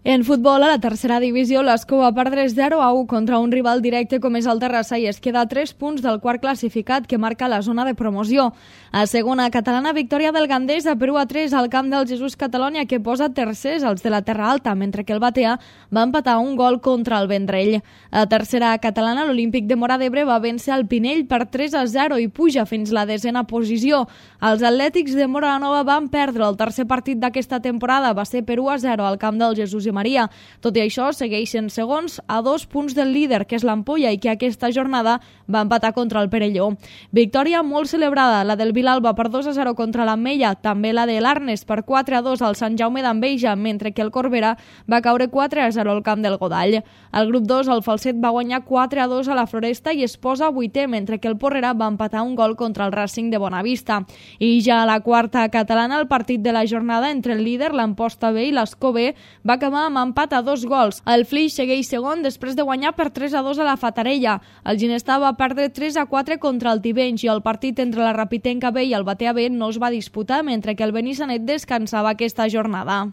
En futbol, a la tercera divisió, l'Escó va perdre 0-1 contra un rival directe com és el Terrassa i es queda a 3 punts del quart classificat que marca la zona de promoció. A segona catalana, victòria del Gandesa per 1-3 al camp del Jesús Catalònia que posa tercers els de la Terra Alta, mentre que el Batea va empatar un gol contra el Vendrell. A tercera catalana, l'Olímpic de Móra d'Ebre va vèncer el Pinell per 3-0 i puja fins la 10a posició. Els Atlètics de Móra la Nova van perdre el tercer partit d'aquesta temporada, va ser per 1-0 al camp del Jesús i Maria. Tot i això, segueixen segons a 2 punts del líder, que és l'Ampolla, i que aquesta jornada va empatar contra el Perelló. Victòria molt celebrada, la del Vilalba per 2-0 contra l'Ametlla, també la de l'Arnes per 4-2 al Sant Jaume d'Enveja, mentre que el Corbera va caure 4-0 al camp del Godall. Al grup 2, el Falset va guanyar 4-2 a la Floresta i es posa 8è, mentre que el Porrera va empatar un gol contra el Racing de Bonavista. I ja a la quarta catalana, el partit de la jornada entre el líder, l'Amposta B i l'Escó B, va acabar amb empat a 2 gols. El Flix segueix segon després de guanyar per 3-2 a la Fatarella. El Ginestar va perdre 3-4 contra el Tivenys i el partit entre la Rapitenca B i el Batea B no es va disputar, mentre que el Benissanet descansava aquesta jornada.